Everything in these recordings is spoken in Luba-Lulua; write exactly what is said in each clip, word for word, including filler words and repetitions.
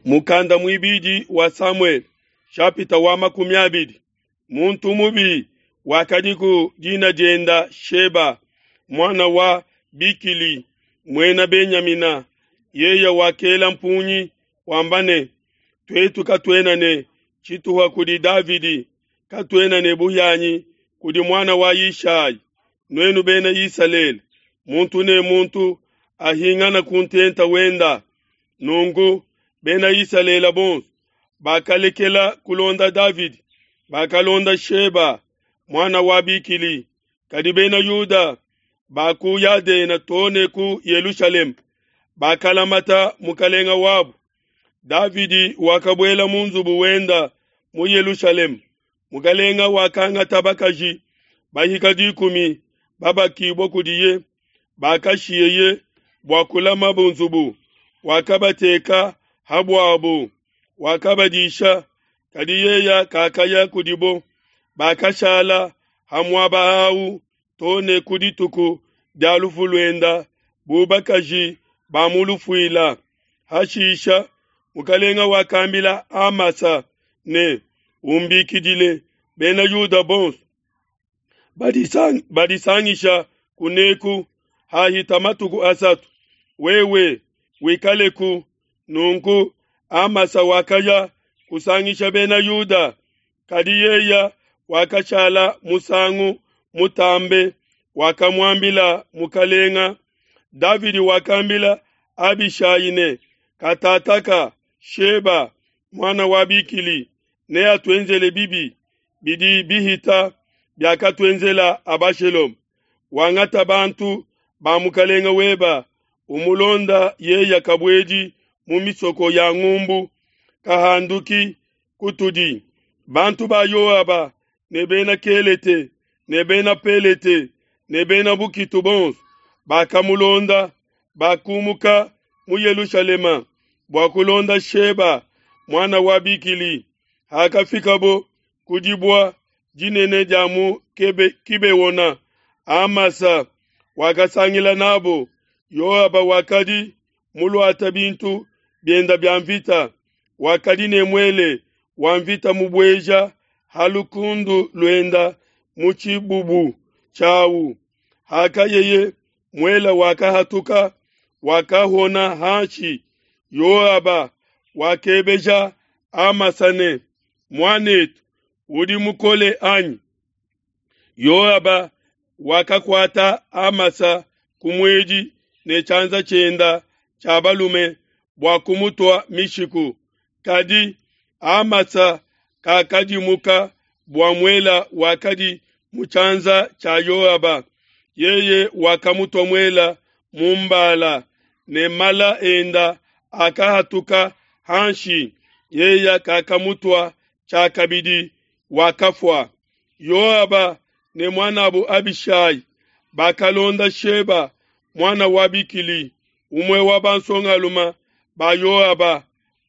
Mukanda muibidi wa Samuele, shapita wa makumi abidi. Muntu mubi wakadiku dina dienda Sheba, muana wa Bikili, muena Benyamina. Yeye wakela mpungi wamba ne, tuetu katuena ne tshituha kudi Davidi, katuena ne buhianyi kudi muana wa Yishai. Nuenu Bena Isalele, muntu ne muntu ahingane ku ntenta wenda. Nunku Bena Isalele bonso bakalekela kulonda Davidi, bakalonda Sheba muana wa Bikili. Kadi Bena Yuda ba ku Yadena too ne ku Yelushalema bakalamata mukalenga wabu. Davidi wakabuela mu nzubu wenda mu Yelushalema. Mukalenga wakangata bakaji bahika dikumi babakibua kudiye, bakashiyeye bua kulama nzubu, wakabateka ha buabo, wakabadisha, kadi yeye kakaya kudibo. Bakashala ha muaba awu too ne ku dituku dia lufu luenda bu bakaji ba mu lufuila. Hashisha mukalenga wakambila Amasa ne, umbikidile Bena Yuda bonso badisang, badisangisha kuneku hahita matuku asatu, wewe wikaleku. Nunku Amasa wakaya kusangisha Bena Yuda, kadi yeye wakashala musangu mutambe. Wakamuambila mukalenga Davidi wakambila Abishai ne, katataka Sheba muana wa Bikili neatuenzele bibi bidi bihita biakatuenzela Abashaloma. Wangata bantu ba mukalenga weba, umulonda yeya kabuedi mu misoko ya ngumbu, kahanduki kutudi. Bantu ba Yoaba ne bena Kelete ne bena Pelete ne bena bukitu bonso bakamulonda, bakumuka mu Yelushalema bua kulonda Sheba muana wa Bikili. Hakafikabo ku dibua dinene dia mu Kibeona, Amasa wakasangila nabo. Yoaba wakadi muluata bintu bienda bia mvita, wakadi ne muele wa mvita mubueja ha lukundu luenda mu tshibubu tshiawu. Hakayeye muela wakahatuka, wakahona hanshi. Yoaba wakebeja Amasa ne, muanetu, udi mukole anyi? Yoaba wakakuata Amasa ku muedi ne tshianza tshienda tshia balume bua kumutua mishiku. Kadi Amasa kakadimuka bua muela wakadi mu tshianza tshia Yoaba. Yeye wakamutua muela mu mbala, ne mala enda akahatuka hanshi. Yeye kakamutua tshiakabidi, wakafua. Yoaba ne muanabu Abishai bakalonda Sheba muana wa Bikili, umue wa bansongalume ba Yoaba,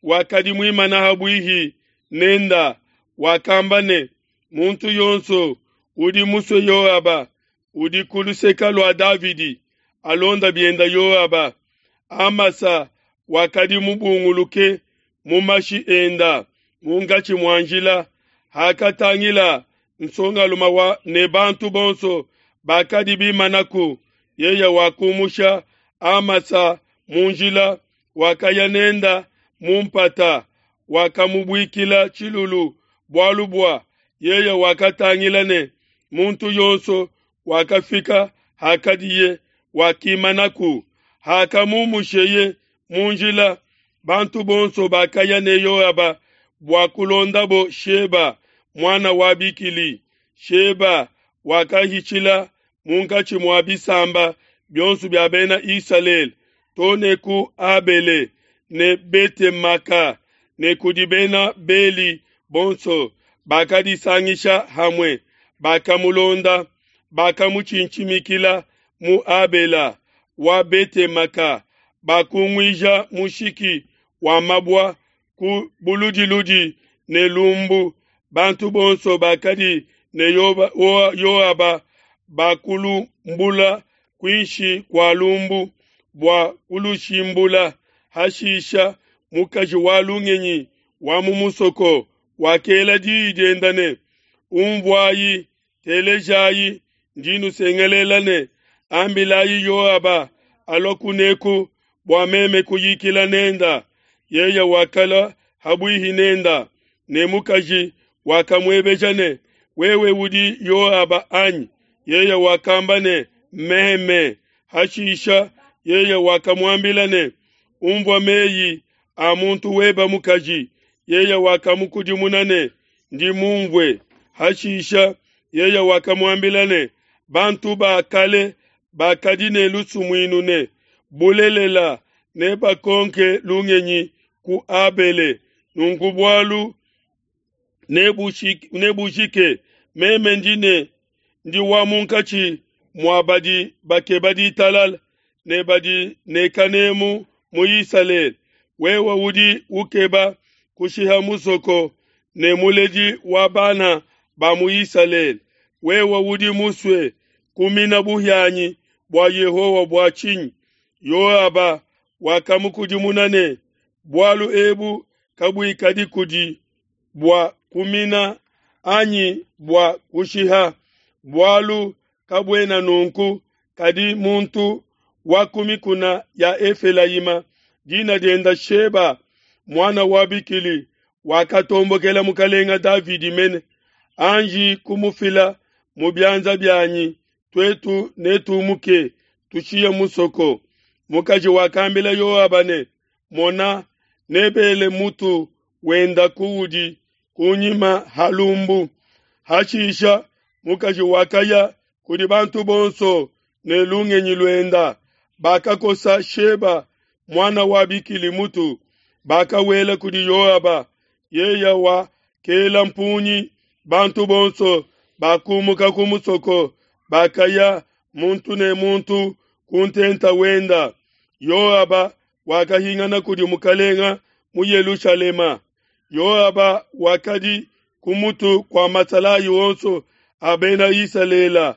wakadi muimana ha buihi nenda. Wakamba ne, muntu yonso udi musue Yoaba udi ku luseke lua Davidi, alonda bienda Yoaba. Amasa wakadi mubunguluke mu mashi enda munkatshi mua njila. Hakatangila nsongalume wa ne bantu bonso bakadi bimanaku, yeye wakumusha Amasa mu njila, wakaya nenda mu mpata, wakamubuikila tshilulu, bualu bua yeye wakatangila ne muntu yonso wakafika hakadiye wakimanaku. Hakamumusheye mu njila, bantu bonso bakaya ne Yoaba bua kulondabo Sheba muana wa Bikili. Sheba wakahitshila munkatshi mua bisamba bionso bia Bena Isalele too ne ku Abele ne Betemaka ne kudi Bena Beli bonso bakadisangisha hamue, bakamulonda, bakamutshintshimikila mu Abela wa Betemaka, bakunguija mushiki wa mabua ku buludiludi ne lumbu. Bantu bonso bakadi ne Yoaba bakulumbula kuinshi kua lumbu bua kulushimbula. Hashisha mukaji wa lungenyi wa mu musoko, wakela diyi dienda ne, Unvuayi, telejayi, ndi nusengelela ne, Ambilayi Yoaba alua kuneku bua meme kuyikila nenda. Yeye wakalua habuihi nenda, ne mukaji wakamuebeja ne, Wewe udi Yoaba anyi? Yeye wakamba ne, Meme. Hashisha yeye wakamuambila ne, Unvua meyi a muntu webe mukaji. Yeye wakamukudimuna ne, Ndi munvue. Hashisha yeye wakamuambila ne, Bantu ba kale bakadi ne lusumuinu ne, Bulelela, nebakonke lungenyi ku Abele, nunku bualu nebujike. Meme ndi ne ndi wa munkatshi mua badi bakeba ditalala ne badi ne kanemu mu Isalele. Wewe udi ukeba kushiha musoko ne muledi wa bana ba mu Isalele. Wewe udi musue kumina buhianyi bua Yehowa bua tshinyi? Yoaba wakamukudimuna ne, Bualu ebu kabuikadi kudi bua kumina anyi bua kushiha, bualu kabuena nunku, kadi muntu wa ku mikuna ya Efelayima, dina dienda Sheba, muana wa Bikili, wakatombokela mukalenga Davidi mene. Anji kumufila mu bianza bianyi, tuetu netumuke, tushiye musoko. Mukaji wakambila Yoaba ne, Mona, nebele mutu wenda kuudi kunyima ha lumbu. Hashisha mukaji wakaya kudi bantu bonso ne lungenyi luenda. Bakakosa Sheba muana wa Bikili mutu, bakawela kudi Yoaba. Yeye wakela mpungi, bantu bonso bakumuka ku musoko, bakaya muntu ne muntu ku ntenta wenda. Yoaba wakahingana kudi mukalenga mu Yelushalema. Yoaba wakadi ku mutu kua masalayi onso a Bena Isalele.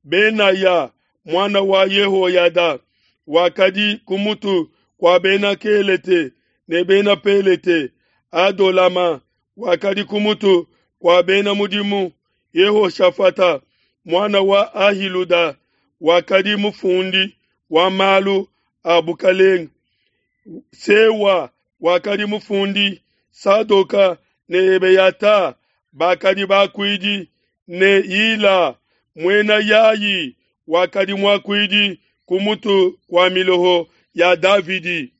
Benaya muana wa Yehoyada wakadi ku mutu kua Bena Kelete ne Bena Pelete. Adolama wakadi ku mutu kua bena mudimu. Yehoshafata muana wa Ahiluda wakadi mufundi wa malu a bukalenge. Sewa wakadi mufundi, Sadoka ne Ebeyata bakadi bakuidi, ne Ila muena Yayi wakadi muakuidi ku mutu kua miloho ya Davidi.